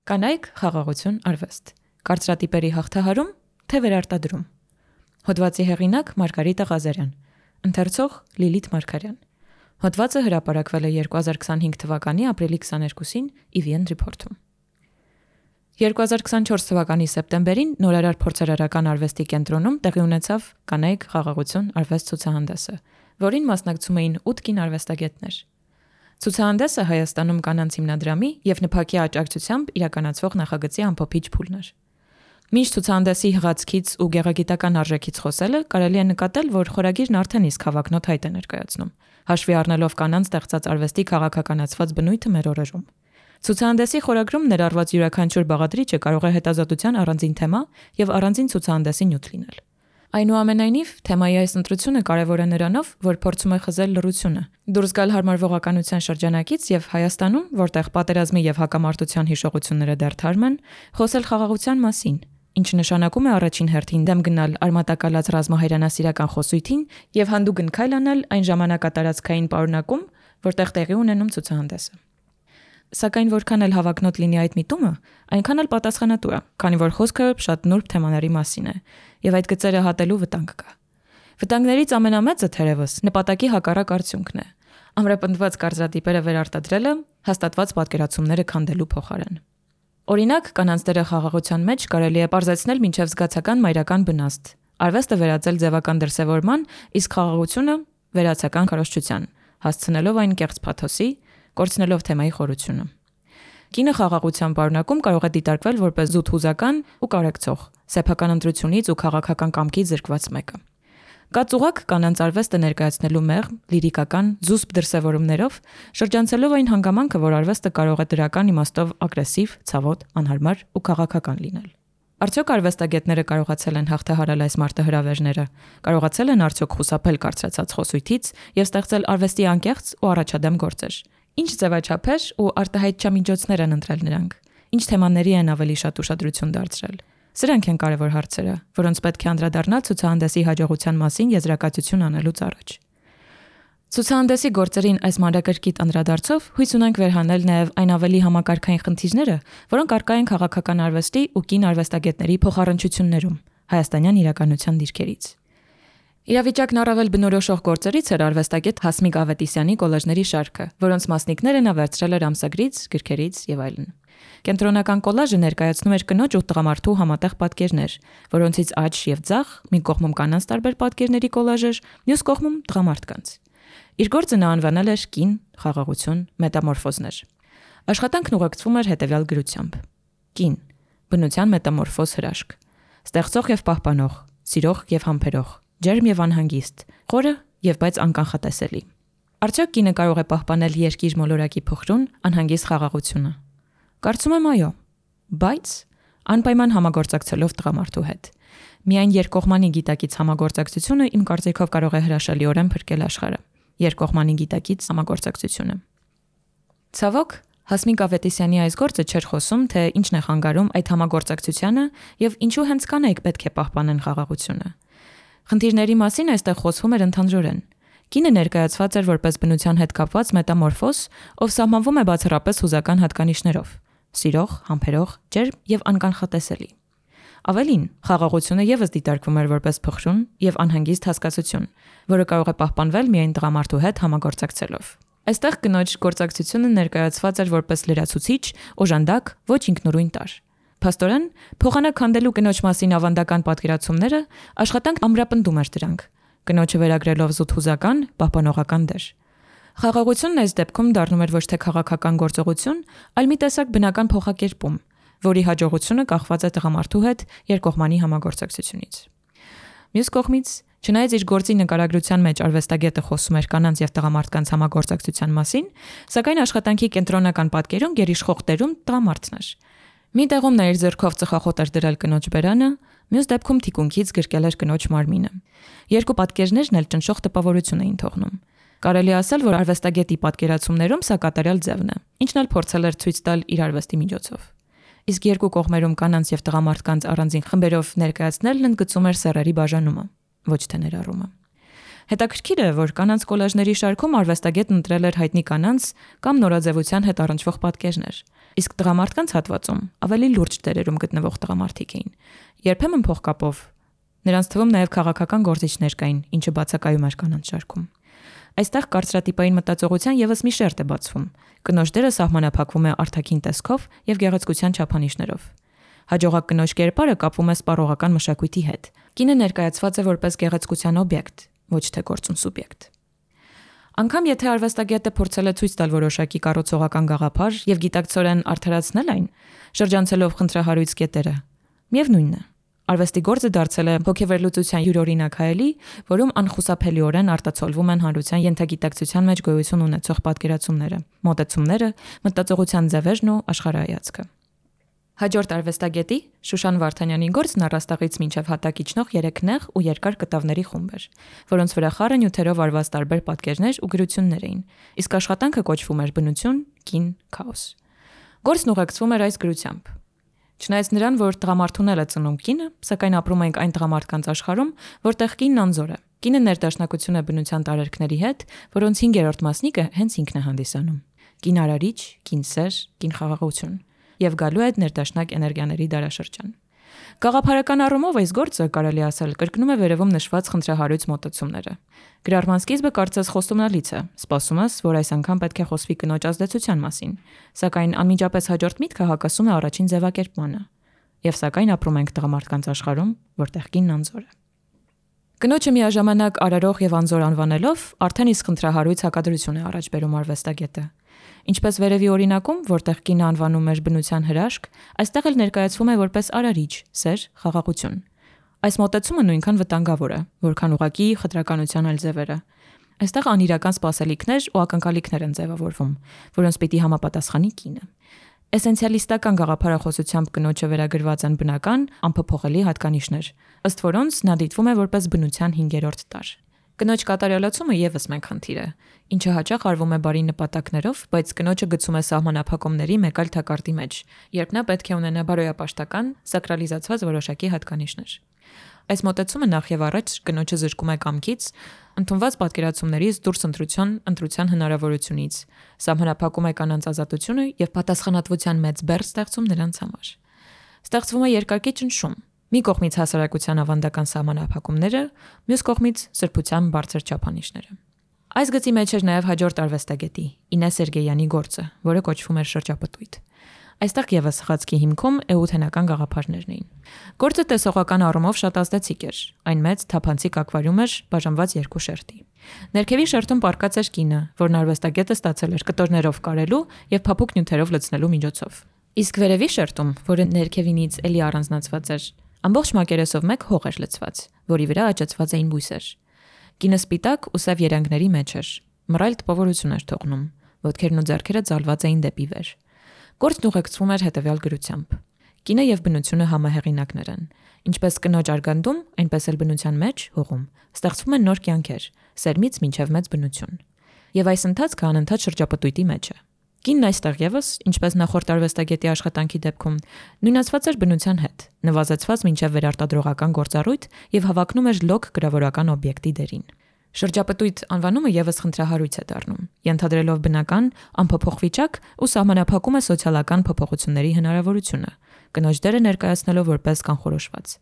Կանայք խաղաղություն արվեստ։ Կարծրատիպերի հաղթահարում, թե վերարտադրում։ Հոդվածի հեղինակ Մարգարիտա Ղազարյան։ Ընթերցող Լիլիթ Մարգարյան։ Հոդվածը հրապարակվել է 2025 թվականի ապրիլի 22-ին EVN Report-ում։ 2024 թվականի սեպտեմբերին նորարար փորձարարական արվեստի կենտրոնում տեղի ունեցավ Կանայք խաղաղություն արվեստ ցուցահանդեսը, որին մասնակցում էին 8 կին արվեստագետներ։ Ցուցահանդեսը Հայաստանում կանանց հիմնադրամի եւ ՆՓԱԿ-ի աջակցությամբ իրականացվող նախագծի ամփոփիչ փուլն էր։ Մինչ ցուցահանդեսի հղացքից ու գեղագիտական արժեքից խոսելը, կարելի է նկատել, որ խորագիրն արդեն իսկ հավակնոտ հայտ է ներկայացնում, հաշվի առնելով կանանց ստեղծած արվեստի քաղաքականացված բնույթը մեր օրերում։ Ցուցահանդեսի խորագրում ներառված յուրաքանչյուր բաղադրիչը կարող է հետազոտության առանձին թեմա եւ առանձին ցուցահանդեսի նյութ լինել։ Այնուամենայնիվ, թեմայի այս ընտրությունը կարևոր է նրանով, որ փորձում է խզել լռությունը, դուրս գալ հարմարվողականության շրջանակից եւ Հայաստանում, որտեղ պատերազմի եւ հակամարտության հիշողությունները դեռ թարմ են, խոսել խաղաղության մասին, ինչը նշանակում է առաջին հերթին դեմ գնալ արմատակալած ռազմահայրենասիրական խոսույթին եւ հանդուգն քայլ անել այն ժամանակատարածքային պարունակում, որտեղ տեղի ունենում ցուցահանդեսը։ Սակայն որքան էլ հավակնոտ լինի այդ միտումը, այնքան էլ պատասխանատու է, քանի որ խոսքը շատ նուրբ թեմաների մասին է, եւ այդ գծերը հատելու վտանգ կա։ Վտանգներից ամենամեծը թերևս նպատակի հակառակ արդյունքն է։ Ամրապնդված կարծրատիպերը վերարտադրելը հաստատված պատկերացումները քանդելու փոխարեն։ Օրինակ, կանանց դերը խաղաղության մեջ կարելի է պարզեցնել մինչև զգացական մայրական բնաստ, արվեստը վերածել ձևական դրսևորման, իսկ խաղաղությունը վերացական քարոզչության, հասցնելով այն կեղծ փաթոսի, կորցնելով թեմայի խորությունը։ Կինը խաղաղության պարունակում կարող է դիտարկվել որպես զուտ հուզական ու կարեկցող, սեփական ընտրությունից ու քաղաքական կամքից զրկված մեկը։ Կա ծուղակ կանանց արվեստը ներկայացնելու մեղմ, լիրիկական, զուսպ դրսևորումներով, շրջանցելով այն հանգամանքը, որ արվեստը կարող է դրական իմաստով ագրեսիվ, ցավոտ, անհարմար ու քաղաքական լինել։ Արդյոք արվեստագետները կարողացել են հաղթահարել այս մարտահրավերները, կարողացել են արդյոք խուսափել կարծրացած խոսույթից եւ ստեղծել արվեստի անկեղծ ու առաջադեմ գործեր։ Ինչ ձևաչափեր ու արտահայտչամիջոցներ են ընտրել նրանք։ Ինչ թեմաների են ավելի շատ ուշադրություն դարձրել։ Սրանք են կարևոր հարցերը, որոնց պետք է անդրադառնալ ցուցահանդեսի հաջողության մասին եզրակացություն անելուց առաջ։ Ցուցահանդեսի գործերին այս մանրակրկիտ անդրադարձով հույս ունենք վերհանել նաև այն ավելի համակարգային խնդիրները, որոնք առկա են քաղաքական արվեստի ու կին արվեստագետների փոխառնչություններում հայաստանյան իրականության դիրքերից։ Իրավիճակն առավել բնորոշող գործերից էր արվեստագետ Հասմիկ Ավետիսյանի կոլաժների շարքը, որոնց մասնիկները նա վերցրել էր ամսագրից, գրքերից եւ այլն։ Կենտրոնական կոլաժը ներկայացնում էր կնոջ ու տղամարդու համատեղ պատկերներ, որոնցից աջ եւ ձախ մի կողմում կանանց տարբեր պատկերների կոլաժ էր, մյուս կողմում տղամարդկանց։ Իր գործը նա անվանել էր կին, խաղաղություն, մետամորֆոզներ։ Աշխատանքն ուղեկցվում էր հետեւյալ գրությամբ. Կին, բնության մետամորֆոզ հրաշք, ստեղծող եւ պահպանող, սիրող եւ համբերող, ջերմ եւ անհանգիստ, խորը եւ բայց անկանխատեսելի։ Արդյոք կինը կարող է պահպանել երկիր մոլորակի փխրուն, անհանգիստ խաղաղությունը։ Կարծում եմ այո, բայց անպայման համագործակցելով տղամարդու հետ։ Միայն երկկողմանի գիտակից համագործակցությունը իմ կարծիքով կարող է հրաշալիորեն փրկել աշխարհը։ Երկկողմանի գիտակից համագործակցությունը։ Ցավոք, Հասմիկ Ավետիսյանի այս գործը չէր խոսում, թե ինչն է խանգարում այդ համագործակցությանը եւ ինչու հենց կանայք պետք է պահպանեն խաղաղությունը։ Խնդիրների մասին այստեղ խոսվում էր ընդհանրորեն։ Կինը ներկայացված էր որպես բնության հետ կապված մետամորֆոզ, ով սահմանվում է բացառապես հուզական հատկանիշներով՝ սիրող, համբերող, ջերմ եւ անկանխատեսելի։ Ավելին, խաղաղությունը եւս դիտարկվում էր որպես փխրուն եւ անհանգիստ հասկացություն, որը կարող է պահպանվել միայն տղամարդու հետ համագործակցելով։ Այստեղ կնոջ գործակցությունը ներկայացված էր որպես լրացուցիչ, օժանդակ, ոչ ինքնուրույն տար։ Փաստորեն, փոխանակ քանդելու կնոջ մասին ավանդական պատկերացումները աշխատանք ամրապնդում էր դրանք, կնոջը վերագրելով զուտ հուզական, պահպանողական դեր։ Խաղաղությունն այս դեպքում դառնում էր ոչ թե քաղաքական գործողություն, այլ մի տեսակ բնական փոխակերպում, որի հաջողությունը կախված է տղամարդու հետ երկկողմանի համագործակցությունից։ Մյուս կողմից, չնայած իր գործի նկարագրության մեջ արվեստագետը խոսում էր կանանց եւ տղամարդկանց համագործակցության մասին, սակայն աշխատանքի կենտրոնական պատկերում գերիշխող տերում տղամարդն էր։ Մի տեղում նա իր ձեռքով ծխախոտ էր դրել կնոջ բերանը, մյուս դեպքում թիկունքից գրկել էր կնոջ մարմինը։ Երկու պատկերներն էլ ճնշող տպավորություն էին թողնում։ Կարելի ասել, որ արվեստագետի պատկերացումներում սա կատարյալ ձևն է, ինչն էլ փորձել էր ցույց տալ իր արվեստի միջոցով։ Իսկ երկու կողմերում կանանց եւ տղամարդկանց առանձին խմբերով ներկայացնելն ընդգծում էր սեռերի բաժանումը, ոչ թե ներառումը։ Հետաքրքիր է, որ կանանց կոլաժների շարքում արվեստագետն ընտրել էր հայտնի կանանց կամ նորաձևության հետ առնչվող պատկերներ, Իսկ տղամարդկանց հատվածում ավելի լուրջ դերերում գտնվող տղամարդիկ էին։ Երբեմն փողկապով, նրանց թվում նաև քաղաքական գործիչներ կային, ինչը բացակայում էր կանանց շարքում։ Այստեղ կարծրատիպային մտածողության եւս մի շերտ է բացվում։ Կնոջ դերը սահմանափակվում է արտաքին տեսքով եւ գեղեցկության չափանիշներով։ Հաջողակ կնոջ կերպարը կապվում է սպառողական մշակույթի հետ։ Կինը ներկայացված է որպես գեղեցկության օբյեկտ, ոչ թե գործուն սուբյեկտ։ Անկամ եթե արվեստագետը փորձել է ցույց տալ որոշակի կառուցողական գաղափար եւ գիտակցորեն արդարացնել այն, շրջանցելով խնդրահարույց կետերը, միևնույնն է, արվեստի գործը դարձել է հոգեվերլուծության յուրօրինակ հայելի, որում անխուսափելիորեն արտացոլվում են հանրության ենթագիտակցության մեջ գոյություն ունեցող պատկերացումները, մոտեցումները, մտածողության ձևերն ու աշխարհայացքը։ Հաջորդ արվեստագետի Շուշան Վարդանյանի գործն առաստաղից մինչև հատակ իջնող 3 նեղ ու երկար կտավների խումբ էր, որոնց վրա խառը նյութերով արված տարբեր պատկերներ ու գրություններ էին, իսկ աշխատանքը կոչվում էր բնություն, կին, քաոս։ Գործն ուղեկցվում էր այս գրությամբ. Չնայած նրան, որ տղամարդուն է ծնում կինը, սակայն ապրում ենք այն տղամարդկանց աշխարհում, որտեղ կինն անզոր է։ Կինը ներդաշնակություն է բնության տարերքների հետ, որոնց 5-րդ մասնիկը հենց ինքն է հանդիսանում։ Կին արարիչ, կին սեր, կին խաղաղություն եւ գալու է ներդաշնակ էներգիաների դարաշրջան։ Գաղափարական առումով այս գործը, կարելի ասել, կրկնում է վերևում նշված խնդրահարույց մոտեցումները։ Գրառման սկիզբը կարծես խոստումնալից է, սպասում ես, որ այս անգամ պետք է խոսվի կնոջ ազդեցության մասին, սակայն անմիջապես հաջորդ միտքը հակասում է առաջին ձևակերպմանը։ Եվ սակայն ապրում ենք տղամարդկանց աշխարհում, որտեղ կինն անզոր է։ Կնոջը միաժամանակ արարող եւ անզոր անվանելով արդեն իսկ խնդրահարույց հակադրություն է առաջ բերում արվեստագետը։ Ինչպես վերևի օրինակում, որտեղ կինը անվանում էր բնության հրաշք, այստեղ էլ ներկայացվում է որպես արարիչ, սեր, խաղաղություն։ Այս մոտեցումը նույնքան վտանգավոր է, որքան ուղղակի խտրականության այլ ձևերը։ Այստեղ անիրական սպասելիքներ ու ակնկալիքներ են ձևավորվում, որոնց պիտի համապատասխանի կինը։ Էսենցիալիստական գաղափարախոսությամբ կնոջը վերագրված են բնական, անփոփոխելի հատկանիշներ, ըստ որոնց նա դիտվում է որպես բնության 5-րդ տար։ Կնոջ կատարելացումը եւս մեկ խնդիր է, ինչը հաճախ արվում է բարի նպատակներով, բայց կնոջը գցում է սահմանափակումների մեկ այլ թակարդի մեջ, երբ նա պետք է ունենա բարոյապաշտական, սակրալիզացված որոշակի հատկանիշներ։ Այս մոտեցումը նախ եւ առաջ կնոջը զրկում է կամքից, ընդունված պատկերացումներից դուրս ընտրության հնարավորությունից, սահմանափակում է կանանց ազատությունը եւ պատասխանատվության մեծ բեռ ստեղծում նրանց համար։ Ստեղծվում է երկակի ճնշում։ Մի կողմից հասարակության ավանդական սահմանափակումները, մյուս կողմից սրբության բարձր չափանիշները։ Այս գծի մեջ էր նաև հաջորդ արվեստագետի Ինե Սերգեյանի գործը, որը կոչվում էր շրջապտույտ։ Այստեղ եւս խացքի հիմքում էութենական գաղափարներն էին։ Գործը տեսողական առումով շատ ազդեցիկ էր։ Այն մեծ թափանցիկ ակվարիում էր, բաժանված 2 շերտի։ Ներքևի շերտում պառկած էր կինը, որն արվեստագետը ստացել էր կտորներով կարելու եւ փափուկ նյութերով լցնելու միջոցով։ Իսկ վերևի շերտում, որը ներքևինից էլի առանձնացված էր, ամբողջ մակերեսով մեկ հող էր լցված, որի վրա աճեցված էին բույսեր։ Կինը սպիտակ ու սև երանգների մեջ էր, մռայլ տպավորություն էր թողնում, ոտքերն ու ձեռքերը ձալված էին դեպի վեր։ Գործն ուղեկցվում էր հետևյալ գրությամբ. Կինը եւ բնությունը համահեղինակներ են, ինչպես կնոջ արգանդում, այնպես էլ բնության մեջ հողում ստեղծվում են նոր կյանքեր, սերմից մինչև մեծ բնություն։ Եվ այս ընթացքը անընդհատ շրջապտույտի մեջ է։ Կինն այստեղ եւս, ինչպես նախորդ արվեստագետի աշխատանքի դեպքում, նույնացված էր բնության հետ, նվազեցված մինչև վերարտադրողական գործառույթ եւ հավակնում էր լոկ գրավորական օբյեկտի դերին։ Շրջապտույտ անվանումը եւս խնդրահարույց է դառնում, ենթադրելով բնական, անփոփոխ վիճակ ու սահմանափակում է սոցիալական փոփոխությունների հնարավորությունը, կնոջ դերը ներկայացնելով որպես կանխորոշված։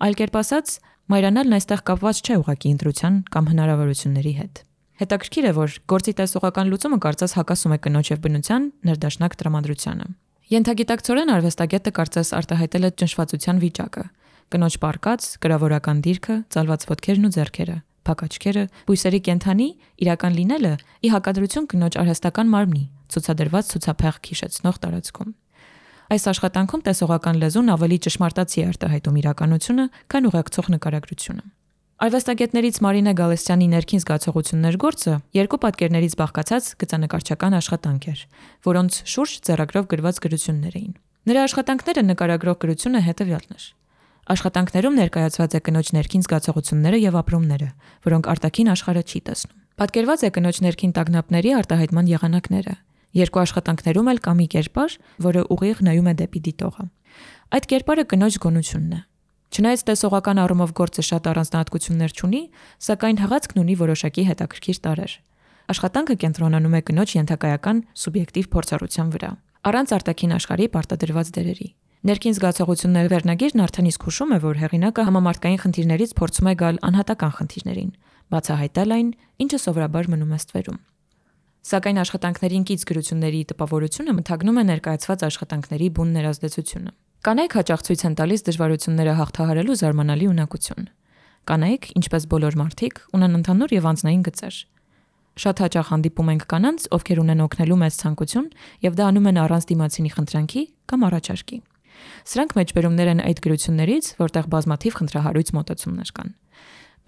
Այլ կերպ ասած, մայրանալն այստեղ կապված չէ ուղղակի ընտրության կամ հնարավորությունների հետ։ Հետաքրքիր է, որ գործի տեսողական լուծումը կարծես հակասում է կնոջ եւ բնության ներդաշնակ տրամադրությանը։ Ենթագիտակցորեն արվեստագետը կարծես արտահայտել է ճնշվածության վիճակը։ Կնոջ պարկած, գրավորական դիրքը, ցալված ոտքերն ու ձեռքերը, փակ աչքերը, բույսերի կենթանի, իրական լինելը՝ ի հակադրություն կնոջ արհեստական մարմնի, ցուցադրված ցուցափեղկ հիշեցնող տարածքում։ Այս աշխատանքում տեսողական լեզուն ավելի ճշմարտացի է արտահայտում իրականությունը, քան ուղեկցող նկարագրությունը։ Արվեստագետներից Մարինե Գալստյանի ներքին զգացողություններ գործը 2 պատկերներից բաղկացած գծանկարչական աշխատանք էր, որոնց շուրջ ձեռագրով գրված գրություններ էին։ Նրա աշխատանքները նկարագրող գրությունը հետևյալն էր։ Աշխատանքներում ներկայացված է կնոջ ներքին զգացողությունները եւ ապրումները, որոնք արտաքին աշխարհը չի տեսնում։ Պատկերված է կնոջ ներքին տագնապների արտահայտման եղանակները։ 2 աշխատանքներում էլ կա մի կերպար, որը ուղիղ նայում է դեպի դիտողը։ Այդ կերպարը կնոջ գոնությունն է։ Չնայած տեսողական առումով գործը շատ առանձնահատկություններ չունի, սակայն հղացքն ունի որոշակի հետաքրքիր տարրեր։ Աշխատանքը կենտրոնանում է կնոջ ենթակայական սուբյեկտիվ փորձառության վրա։ առանց արտաքին աշխարհի պարտադրված դերերի։ Ներքին զգացողությունների վերնագիրն արդեն իսկ հուշում է, որ հեղինակը համամարտկային խնդիրներից փորձում է գալ անհատական խնդիրներին, բացահայտել այն, ինչը սովորաբար մնում է ստվերում։ Սակայն աշխատանքներին կից գրությունների տպավորությունը մթագնում է ներկայացված աշխատանքների բուն ներազդեցությունը։ Կանայք հաճախ ցույց են տալիս դժվարությունները հաղթահարելու զարմանալի ունակություն։ Կանայք, ինչպես բոլոր մարդիկ, ունեն ընդհանուր եւ անձնային գծեր։ Շատ հաճախ հանդիպում ենք կանանց, ովքեր ունեն օգնելու մեծ ցանկություն եւ դա անում են առանց դիմացինի խնդրանքի կամ առաջարկի։ Սրանք մեջբերումներ են այդ գրություններից, որտեղ բազմաթիվ խնդրահարույց մոտեցումներ կան։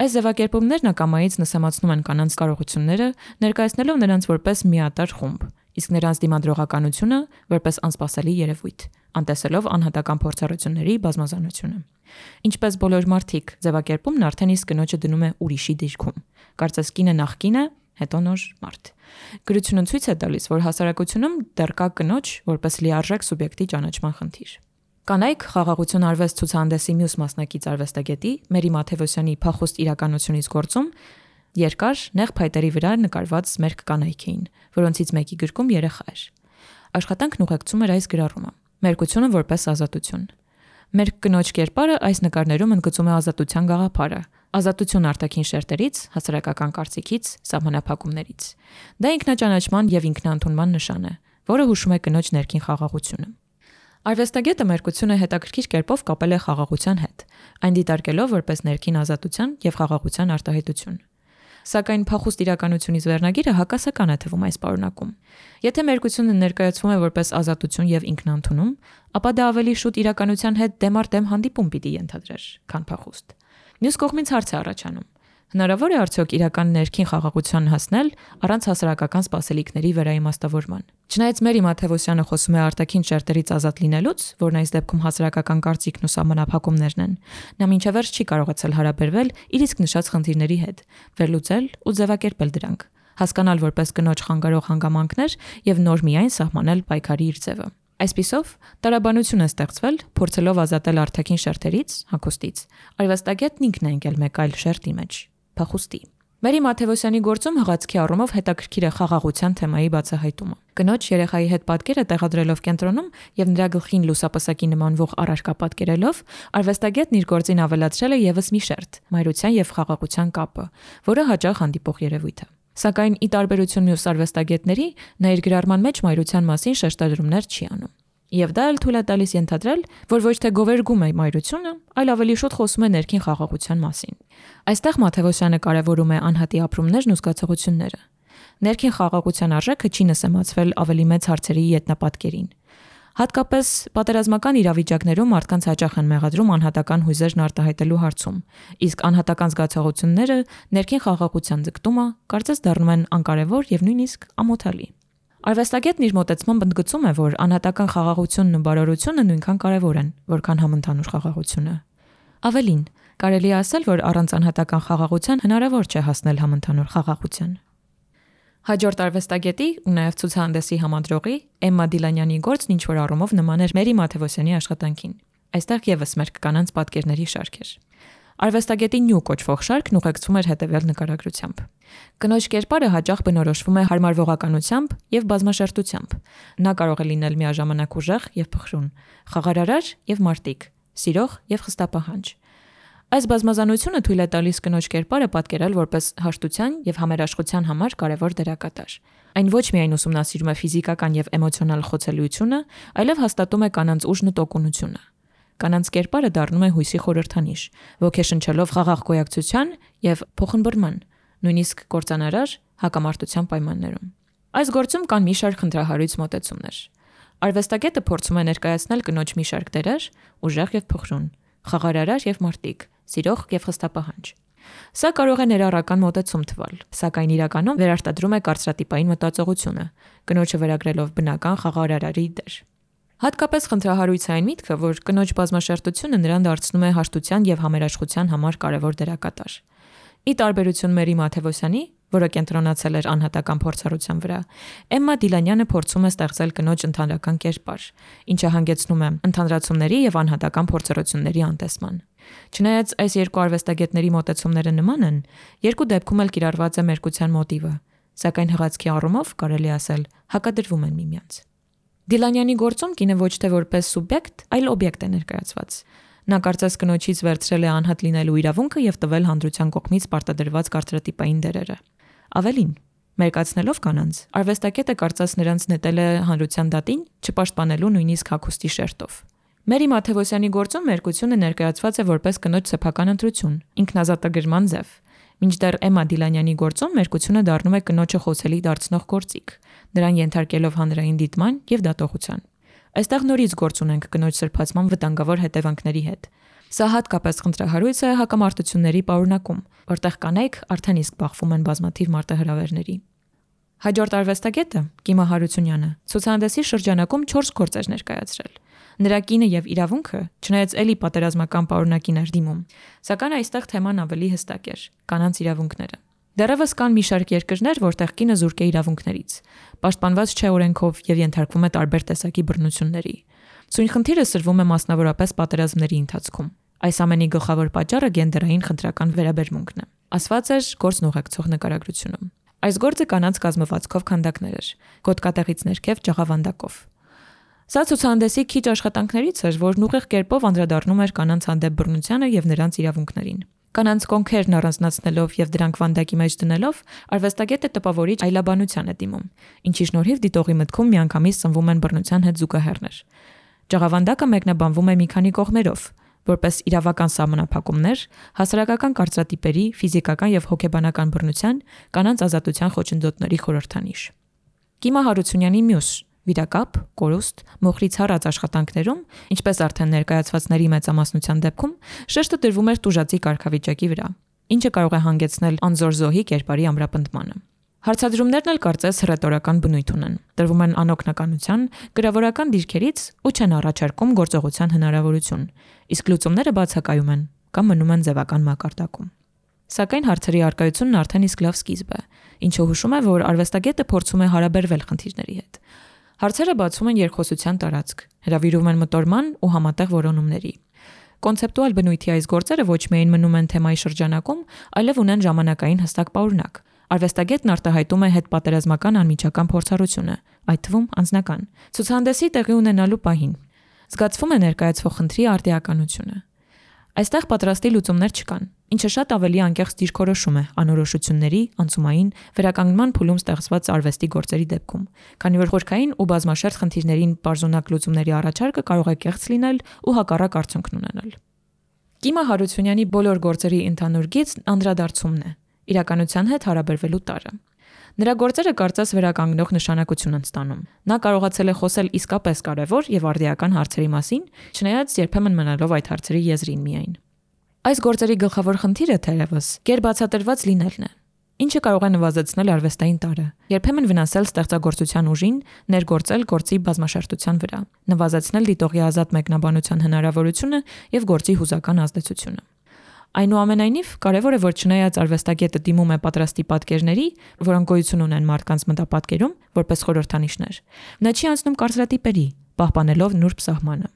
Այս ձևակերպումներն ակամայից նսեմացնում են կանանց կարողությունները, ներկայացնելով նրանց որպես միատար խումբ, իսկ նրանց դիմադրողականությունը որպես անսպասելի երևույթ, անտեսելով անհատական փորձառությունների բազմազանությունը։ Ինչպես բոլոր մարդիկ, ձևակերպումն արդեն իսկ կնոջը դնում է ուրիշի դիրքում։ Կարծես կինը նախ կին է, հետո նոր մարդ։ Գրությունը ցույց է տալիս, որ հասարակությունում դեռ կա կնոջ որպես լիարժեք սուբյեկտի ճանաչման խնդիր։ Կանայք խաղաղություն արվեստ ցուցահանդեսի մյուս մասնակից արվեստագետի Մերի Մաթևոսյանի փախուստ իրականությունից գործում երկար նեղ փայտերի վրա նկարված մերկ կանայք էին, որոնցից մեկի գրկում երեխա էր։ Աշխատանքն ուղեկցում էր այս գրառումը. մերկությունը որպես ազատություն։ Մերկ կնոջ կերպարը այս նկարներում ընդգծում է ազատության գաղափարը, ազատություն արտաքին շերտերից, հասարակական կարծիքից, սահմանափակումներից։ Դա ինքնաճանաչման եւ ինքնաընդունման նշան է, որը հուշում է կնոջ ներքին խաղաղությունը։ Արվեստագետը մերկությունը հետաքրքիր կերպով կապել է խաղաղության հետ, այն դիտարկելով որպես ներքին ազատության եւ խաղաղության արտահայտություն։ Սակայն փախուստ իրականությունից վերնագիրը հակասական է թվում այս պարունակում։ Եթե մերկությունը ներկայացվում է որպես ազատություն եւ ինքնաընդունում, ապա դա ավելի շուտ իրականության հետ դեմ առ դեմ հանդիպում պիտի ենթադրեր, քան փախուստ։ Մյուս կողմից հարց է առաջանում. հնարավոր է արդյոք իրական ներքին խաղաղության հասնել առանց հասարակական սպասելիքների վերաիմաստավորման։ Չնայած Մերի Մաթևոսյանը խոսում է արտաքին շերտերից ազատ լինելուց, որն այս դեպքում հասարակական կարծիքն ու սահմանափակումներն են, նա մինչև վերջ չի կարողացել հարաբերվել իր իսկ նշած խնդիրների հետ, վերլուծել ու ձևակերպել դրանք, հասկանալ որպես կնոջ խանգարող հանգամանքներ եւ նոր միայն սահմանել պայքարի իր ձևը։ Այսպիսով, տարաբանություն է ստեղծվել, փորձելով ազատել արտաքին շերտերից, հագուստից։ Արվեստագետն ինքն է ընկել մեկ այլ շերտի մեջ՝ փախուստի։ Մերի Մաթևոսյանի գործում հղացքի առումով հետաքրքիր է խաղաղության թեմայի բացահայտումը։ Կնոջ երեխայի հետ պատկերը տեղադրելով կենտրոնում եւ նրա գլխին լուսապսակի նմանվող առարկա պատկերելով, արվեստագետն իր գործին ավելացրել է եւս մի շերտ՝ մայրության եւ խաղաղության կապը, որը հաճախ հանդիպող երևույթ է։ Սակայն ի տարբերություն մյուս արվեստագետների, նա իր գրառման մեջ մայրության մասին շեշտադրումներ չի անում։ Եվ դա էլ թույլ է տալիս ենթադրել, որ ոչ թե գովերգում է մայրությունը, այլ ավելի շուտ խոսում է ներքին խաղաղության մասին։ Այստեղ Մաթևոսյանը կարևորում է անհատի ապրումներն ու զգացողությունները։ Ներքին խաղաղության արժեքը չի նսեմացվել ավելի մեծ հարցերի ետնապատկերին։ Հատկապես պատերազմական իրավիճակներում մարդկանց հաճախ են մեղադրում անհատական հույզերն արտահայտելու հարցում, իսկ անհատական զգացողությունները ներքին խաղաղության ձգտումը կարծես դառնում են անկարևոր եւ նույնիսկ ամոթալի։ Արվեստագետն իր մոտեցմամբ ընդգծում է, որ անհատական խաղաղությունն ու բարօրությունը նույնքան կարևոր են, որքան համընդհանուր խաղաղությունը։ Ավելին, կարելի է ասել, որ առանց անհատական խաղաղության հնարավոր չէ հասնել համընդհանուր խաղաղության։ Հաջորդ արվեստագետի ու նաև ցուցահանդեսի համադրողի Էմմա Դիլանյանի գործն ինչ-որ առումով նման էր Մերի Մաթևոսյանի աշխատանքին։ Այստեղ եւս մերկ կանանց պատկերների շարք էր։ Արվեստագետի նյու կոչվող շարքն ուղեկցվում էր հետևյալ նկարագրությամբ։ Կնոջ կերպարը հաճախ բնորոշվում է հարմարվողականությամբ եւ բազմաշերտությամբ։ Նա կարող է լինել միաժամանակ ուժեղ եւ փխրուն, խաղարարար եւ մարտիկ, սիրող եւ խստապահանջ։ Այս բազմազանությունը թույլ է տալիս կնոջ կերպարը պատկերել որպես հաշտության եւ համերաշխության համար կարևոր դերակատար։ Այն ոչ միայն ուսումնասիրում է ֆիզիկական եւ էմոցիոնալ խոցելիությունը, այլև հաստատում է կանանց ուժն ու տոկունությունը։ Կանանց կերպարը դառնում է հույսի խորհրդանիշ, ոգեշնչելով խաղաղ գոյակցության եւ փոխըմբռնման, նույնիսկ կործանարար հակամարտության պայմաններում։ Այս գործում կան մի շարք խնդրահարույց մոտեցումներ։ Արվեստագետը փորձում է ներկայացնել կնոջ մի շարք դերեր՝ ուժեղ եւ փխրուն, խաղարարար եւ մարտիկ, սիրող եւ խստապահանջ։ Սա կարող է ներառական մոտեցում թվալ, սակայն իրականում վերարտադրում է կարծրատիպային մտածողությունը, կնոջը վերագրելով բնական խաղարարարի դեր։ Հատկապես խնդրահարույց է այն միտքը, որ կնոջ բազմաշերտությունը նրան դարձնում է հաշտության եւ համերաշխության համար կարևոր դերակատար։ Ի տարբերություն Մերի Մաթևոսյանի, որը կենտրոնացել էր անհատական փորձառության վրա, Էմմա Դիլանյանը փորձում է ստեղծել կնոջ ընդհանրական կերպար, ինչը հանգեցնում է ընդհանրացումների եւ անհատական փորձառությունների անտեսման։ Չնայած այս երկու արվեստագետների մոտեցումները նման են, երկու դեպքում էլ կիրառված է մերկության մոտիվը, սակայն հղացքի առումով կարելի ասել հակադրվում են միմյանց։ Դիլանյանի գործում կինը ոչ թե որպես սուբյեկտ, այլ օբյեկտ է ներկայացված։ Նա կարծես կնոջից վերցրել է անհատ լինելու իրավունքը եւ տվել հանրության կողմից պարտադրված կարծրատիպային դերերը։ Ավելին, մերկացնելով կանանց, արվեստագետը կարծես նրանց նետել է հանրության դատին, չպաշտպանելու նույնիսկ հագուստի շերտով։ Մերի Մաթևոսյանի գործում մերկությունը ներկայացված է որպես կնոջ սեփական ընտրություն, ինքնազատագրման ձև, մինչդեռ Էմմա Դիլանյանի գործում մերկությունը դառնում է կնոջը խոսելի դարձնող գործիք, նրան ենթարկելով հանրային դիտման եւ դատողության։ Այստեղ նորից գործ ունենք կնոջ սրբացման վտանգավոր հետևանքների հետ։ Սա հատկապես խնդրահարույց է հակամարտությունների պարունակում, որտեղ կանայք արդեն իսկ բախվում են բազմաթիվ մարտահրավերների։ Հաջորդ արվեստագետը Կիմա Հարությունյանը ցուցահանդեսի շրջանակում 4 գործ էր ներկայացրել։ Նրա կինը եւ իրավունքը, չնայած էլի պատերազմական պարունակին էր դիմում, սակայն այստեղ թեման ավելի հստակ էր՝ կանանց իրավունքները։ Դեռևս կան մի շարք երկրներ, որտեղ կինը զուրկ է իրավունքներից, պաշտպանված չէ օրենքով եւ ենթարկվում է տարբեր տեսակի բռնությունների։ Սույն խնդիրը սրվում է մասնավորապես պատերազմների ընթացքում։ Այս ամենի գլխավոր պատճառը գենդերային խնդրական վերաբերմունքն է։ Ասված էր գործն ուղեկցող նկարագրությունում։ Այս գործը կանանց կազմվածքով քանդակներ էր, գոտկատեղից ներքև ճաղավանդակով։ Սա ցուցահանդեսի քիչ աշխատանքներից էր, որն ուղիղ կերպով անդրադառնում էր կանանց հանդեպ բռնությանը եւ նրանց իրավունքներին։ Կանանց կոնքերն առանձնացնելով եւ դրանք վանդակի մեջ դնելով, արվեստագետը տպավորիչ այլաբանության է դիմում, ինչի շնորհիվ դիտողի մտքում միանգամից սնվում են բռնության հետ զուգահեռներ։ Ճաղավանդակը մեկնաբանվում է մի քանի կողմերով, որպես իրավական սահմանափակումներ, հասարակական կարծրատիպերի, ֆիզիկական եւ հոգեբանական բռնության, կանանց ազատության խոչընդոտների խորհրդանիշ։ Կիմա Հարությունյանի մյուս վիրակապ, կորուստ, մոխրից հառած աշխատանքներում, ինչպես արդեն ներկայացվածների մեծամասնության դեպքում, շեշտը դրվում էր տուժածի կարգավիճակի վրա, ինչը կարող է հանգեցնել անզոր զոհի կերպարի ամրապնդմանը։ Հարցադրումներն էլ կարծես հռետորական բնույթ ունեն, տրվում են անօգնականության, գրավորական դիրքերից ու չեն առաջարկում գործողության հնարավորություն, իսկ լուծումները բացակայում են կամ մնում են ձևական մակարդակում։ Սակայն հարցերի առկայությունն արդեն իսկ լավ սկիզբ է, ինչը հուշում է, որ արվեստագետը փորձում է հարաբերվել խնդիրների հետ։ Հարցերը բացում են երկխոսության տարածք, հրավիրում են մտորման ու համատեղ որոնումների։ Կոնցեպտուալ բնույթի այս գործերը ոչ միայն մնում են թեմայի շրջանակում, այլև ունեն ժամանակային հստակ պարունակ։ Արվեստագետն արտահայտում է հետպատերազմական անմիջական փորձառությունը, այդ թվում անձնական, ցուցահանդեսի տեղի ունենալու պահին։ Զգացվում է ներկայացվող խնդրի արդիականությունը։ Այստեղ պատրաստի լուծումներ չկան, ինչը շատ ավելի անկեղծ դիրքորոշում է անորոշությունների, անցումային, վերականգնման փուլում ստեղծված արվեստի գործերի դեպքում, քանի որ խորքային ու բազմաշերտ խնդիրներին բարձունակ լուծումների առաջարկը կարող է կեղծ լինել ու հակառակ արդյունքն ունենալ։ Կիմա Հարությունյանի բոլոր գործերի ընդհանուր գիծն անդրադարձումն է, իրականության հետ հարաբերվելու տարը։ Նրա գործերը կարծես վերականգնող նշանակություն են ստանում։ Նա կարողացել է խոսել իսկապես կարևոր եւ արդիական հարցերի մասին, չնայած երբեմն մնալով այդ հարցերի եզրին միայն։ Այս գործերի գլխավոր խնդիրը թերևս գերբացատրված լինելն է, ինչը կարող է նվազեցնել արվեստային տարը, երբեմն վնասել ստեղծագործության ուժին, ներգործել գործի բազմաշերտության վրա, նվազեցնել դիտողի ազատ մեկնաբանության հնարավորությունը եւ գործի հուզական ազդեցությունը։ Այնուամենայնիվ, կարևոր է, որ չնայած արվեստագետը դիմում է պատրաստի պատկերների, որոնք գոյություն ունեն մարդկանց մտապատկերում, որպես խորհրդանիշներ, նա չի անցնում կարծրատիպերի, պահպանելով նուրբ սահմանը։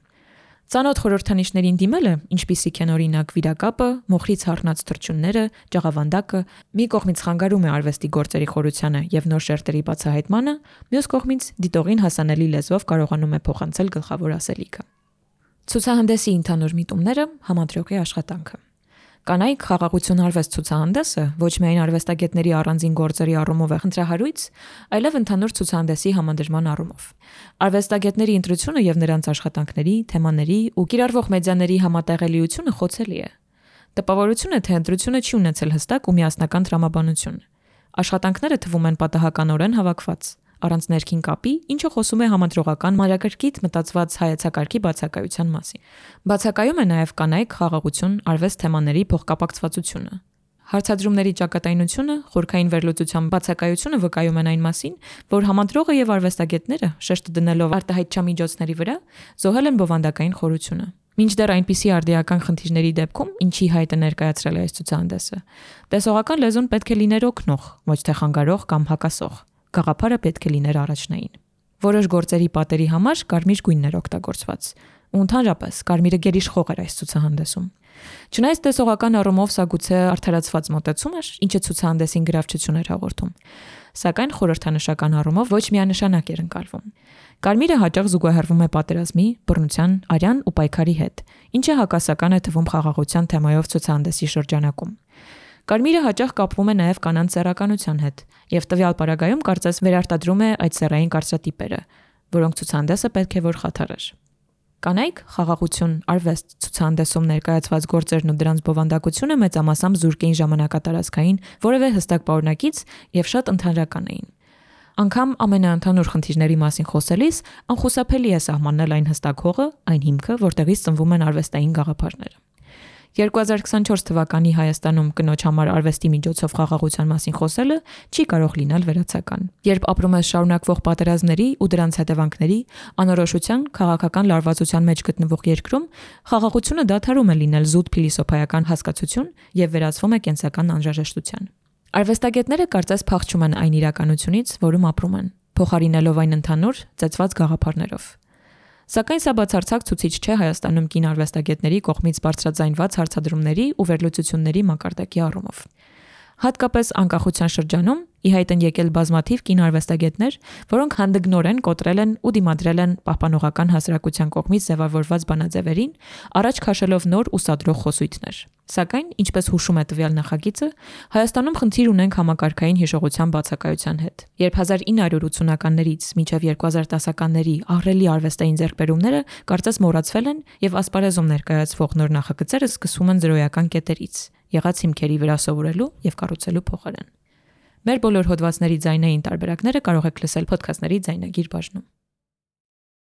Ծանոթ խորհրդանիշներին դիմելը, ինչպիսիք են օրինակ վիրակապը, մոխրից հառնած թռչունները, ճաղավանդակը, մի կողմից խանգարում է արվեստի գործերի խորությանը եւ նոր շերտերի բացահայտմանը, մյուս կողմից դիտողին հասանելի լեզվով կարողանում է փոխանցել գլխավոր ասելիքը։ Ցուցահանդեսի ընդհանուր միտումները, համադրողի աշխատանքը։ Կանայք խաղաղություն արվեստ ցուցահանդեսը ոչ միայն արվեստագետների առանձին գործերի առումով է խնդրահարույց, այլև ընդհանուր ցուցահանդեսի համադրման առումով։ Արվեստագետների ընտրությունը եւ նրանց աշխատանքների, թեմաների ու կիրառվող մեդիաների համատեղելիությունը խոցելի է։ Տպավորություն է, թե ընտրությունը չի ունեցել հստակ ու միասնական տրամաբանություն։ Աշխատանքները թվում են պատահականորեն հավաքված, առանց ներքին կապի, ինչը խոսում է համադրողական մանրակրկիտ մտածված հայեցակարգի բացակայության մասին։ Բացակայում է նաև կանայք խաղաղություն, արվեստ թեմաների փոխկապակցվածությունը։ Հարցադրումների ճակատայնությունը, խորքային վերլուծության բացակայությունը վկայում են այն մասին, որ համադրողը եւ արվեստագետները, շեշտը դնելով արտահայտչամիջոցների վրա, զոհել են բովանդակային խորությունը։ Մինչդեռ այնպիսի արդիական խնդիրների դեպքում, ինչի հայտ է ներկայացրել այս ցուցահանդեսը, տեսողական լեզուն պետք է լիներ օգնող, ոչ թե խանգարող կամ հակասող։ Գաղափարը պետք է լիներ առաջնային։ Որոշ գործերի պատերի համար կարմիր գույնն էր օգտագործված, ու ընդհանրապես Կարմիրը գերիշխող էր այս ցուցահանդեսում։ Չնայած տեսողական առումով սա գուցե արդարացված մոտեցում էր, ինչը ցուցահանդեսին գրավչություն էր հաղորդում, սակայն խորհրդանշական առումով ոչ միանշանակ էր ընկալվում։ Կարմիրը հաճախ զուգահեռվում է պատերազմի, բռնության, արյան ու պայքարի հետ, ինչը հակասական է թվում խաղաղության թեմայով ցուցահանդեսի շրջանակում։ Կարմիրը հաճախ կապվում է նաև կանանց սեռականության հետ, եւ տվյալ պարագայում կարծես վերարտադրում է այդ սեռային կարծրատիպերը, որոնք ցուցահանդեսը պետք է որ խաթարեր։ Կանայք, խաղաղություն, արվեստ ցուցահանդեսում ներկայացված գործերն ու դրանց բովանդակությունը մեծամասամբ զուրկ էին ժամանակատարածքային որևէ հստակ պարունակից եւ շատ ընդհանրական էին։ Անգամ ամենաընդհանուր խնդիրների մասին խոսելիս անխուսափելի է սահմանել այն հստակ հողը, այն հիմքը, որտեղից ծնվում են արվեստային գաղափարները։ 2024 թվականի Հայաստանում կնոջ համար արվեստի միջոցով խաղաղության մասին խոսելը չի կարող լինել վերացական։ Երբ ապրում ես շարունակվող պատերազմների ու դրանց հետևանքների, անորոշության, քաղաքական լարվածության մեջ գտնվող երկրում, խաղաղությունը դադարում է լինել զուտ փիլիսոփայական հասկացություն եւ վերածվում է կենսական անհրաժեշտության։ Արվեստագետները կարծես փախչում են այն իրականությունից, որում ապրում են, փոխարինելով այն ընդհանուր, ծեծված գաղափարներով։ Սակայն սա բացարձակ ցուցիչ չէ Հայաստանում կին արվեստագետների կողմից բարձրաձայնված հարցադրումների ու վերլուծությունների մակարդակի առումով։ Հատկապես անկախության շրջանում ի հայտ են եկել բազմաթիվ կին արվեստագետներ, որոնք հանդգնորեն կոտրել են ու դիմադրել են պահպանողական հասարակության կողմից ձևավորված բանաձևերին, առաջ քաշելով նոր ու սադրող խոսույթներ։ Սակայն, ինչպես հուշում է տվյալ նախագիծը, Հայաստանում խնդիր ունենք համակարգային հիշողության բացակայության հետ։ Երբ 1980-ականներից մինչև 2010-ականների ահռելի արվեստային ձեռքբերումները կարծես մոռացվել են եւ ասպարեզում ներկայացվող նոր նախագծերը սկսվում են զրոյական կետերից, եղած հիմքերի վրա սովորելու եւ կառուցելու փոխարեն։ Մեր բոլոր հոդվածների ձայնային տարբերակները կարող եք լսել ոդքասթների ձայնագիր բաժնում։